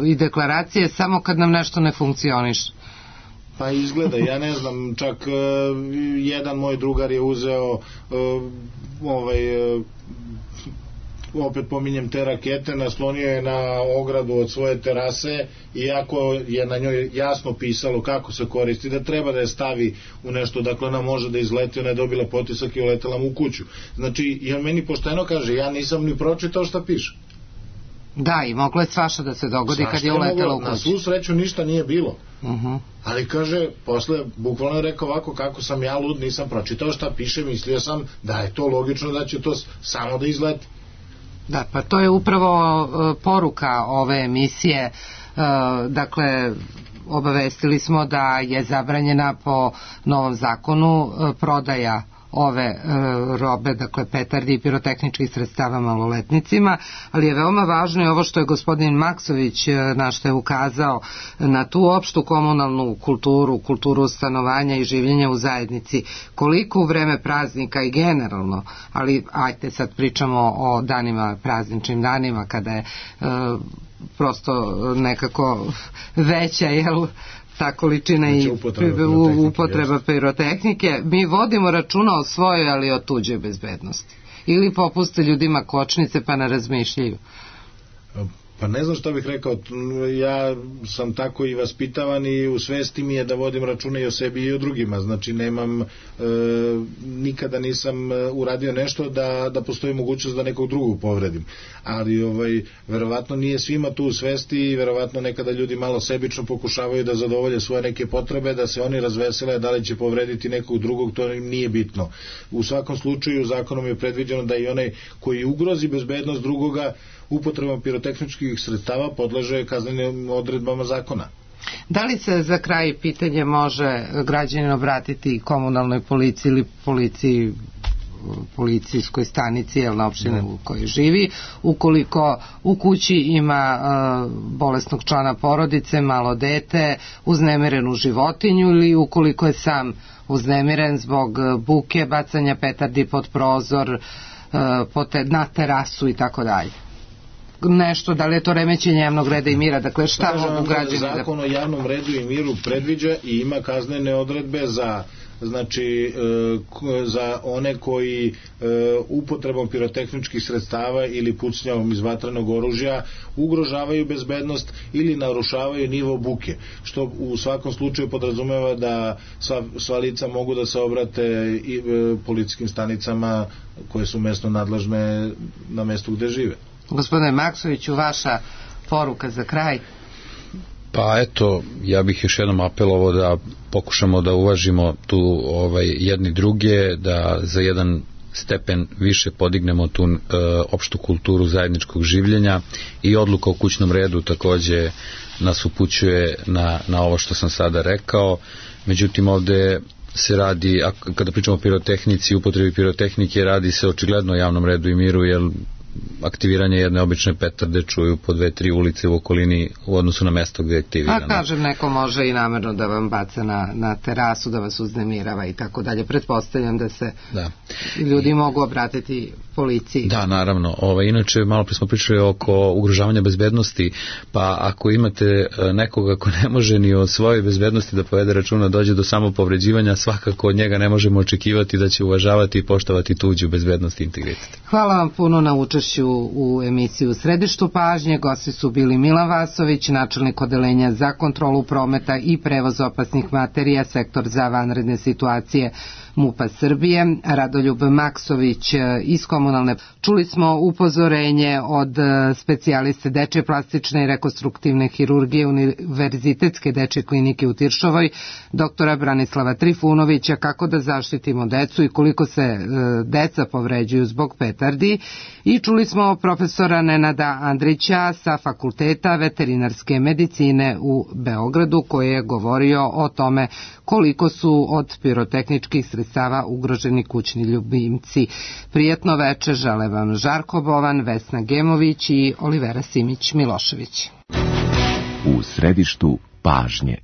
i deklaracije samo kad nam nešto ne funkcioniše. Pa izgleda, ja ne znam, čak jedan moj drugar je uzeo opet pominjem te rakete, naslonio je na ogradu od svoje terase, iako je na njoj jasno pisalo kako se koristi, da treba da je stavi u nešto, dakle ona može da izleti, ona je dobila potisak i uletela mu u kuću. Znači, jer meni pošteno kaže, ja nisam ni pročitao šta piše. Da, i moglo je svašta da se dogodi kad je uletela u kuću. Na svu sreću ništa nije bilo. Ali kaže, posle bukvalno je rekao ovako, kako sam ja lud, nisam pročitao šta piše, mislio sam da je to logično da će to samo da izleti. Da, pa to je upravo poruka ove emisije, dakle, obavestili smo da je zabranjena po novom zakonu prodaja ove robe, dakle petardi i pirotehničkih sredstava maloletnicima, ali je veoma važno i ovo što je gospodin Maksović na što je ukazao, na tu opštu komunalnu kulturu stanovanja i življenja u zajednici, koliko u vreme praznika i generalno, ali ajte sad pričamo o danima, prazničnim danima kada je prosto nekako veća, jel, ta količina i upotreba pirotehnike, mi vodimo računa o svojoj, ali o tuđoj bezbednosti. Ili popuste ljudima kočnice pa ne razmišljaju. Pa ne znam šta bih rekao, ja sam tako i vaspitavan i u svesti mi je da vodim računa i o sebi i o drugima, znači nemam, nikada nisam uradio nešto da postoji mogućnost da nekog drugog povredim, ali verovatno nije svima tu u svesti i verovatno nekada ljudi malo sebično pokušavaju da zadovolje svoje neke potrebe, da se oni razvesele, da li će povrediti nekog drugog, to im nije bitno. U svakom slučaju zakonom je predviđeno da i onaj koji ugrozi bezbednost drugoga upotrebom pirotehničkih sredstava podleže kaznenim odredbama zakona. Da li se za kraj pitanje može građanin obratiti komunalnoj policiji ili policijskoj stanici na opštini u kojoj živi, ukoliko u kući ima bolesnog člana porodice, malo dete, uznemirenu životinju ili ukoliko je sam uznemiren zbog buke, bacanja petardi pod prozor, na terasu i tako dalje? Nešto, da li je to remećenje javnog reda i mira, dakle šta mogu građani da... Zakon o javnom redu i miru predviđa i ima kaznene odredbe za one koji upotrebom pirotehničkih sredstava ili pucnjavom iz vatrenog oružja ugrožavaju bezbednost ili narušavaju nivo buke, što u svakom slučaju podrazumeva da sva lica mogu da se obrate i policijskim stanicama koje su mestno nadležne na mestu gde žive. Gospodine Maksoviću, vaša poruka za kraj? Pa eto, ja bih još jednom apelovao da pokušamo da uvažimo tu jedni druge, da za jedan stepen više podignemo tu opštu kulturu zajedničkog življenja i odluka o kućnom redu takođe nas upućuje na ovo što sam sada rekao. Međutim, ovde se radi, kada pričamo o pirotehnici, upotrebi pirotehnike, radi se očigledno o javnom redu i miru, jer aktiviranje jedne obične petarde čuju po 2-3 ulice u okolini u odnosu na mesto gde je aktivirano. A kažem, neko može i namerno da vam baca na terasu, da vas uznemirava i tako dalje. Pretpostavljam da se ljudi mogu obratiti policiji. Da, naravno. Inače, malo pre smo pričali oko ugrožavanja bezbednosti, pa ako imate nekoga ko ne može ni o svojoj bezbednosti da povede računa, dođe do samopovređivanja, svakako od njega ne možemo očekivati da će uvažavati i poštovati tuđu bezbednost i integritet. Hvala vam puno na učešću u emisiji U središtu pažnje. Gosti su bili Milan Vasović, načelnik odeljenja za kontrolu prometa i prevoz opasnih materija, sektor za vanredne situacije MUP-a Srbije, Radoljub Maksović iz komunalne. Čuli smo upozorenje od specijaliste dečje plastične i rekonstruktivne hirurgije Univerzitetske dečje klinike u Tiršovoj, doktora Branislava Trifunovića, kako da zaštitimo decu i koliko se deca povređuju zbog petardi, i čuli smo profesora Nenada Andrića sa Fakulteta veterinarske medicine u Beogradu, koji je govorio o tome koliko su od pirotehničkih sredstava ugroženi kućni ljubimci. Prijetno veče žele vam Žarko Bovan, Vesna Gemović i Olivera Simić Milošević. U središtu pažnje.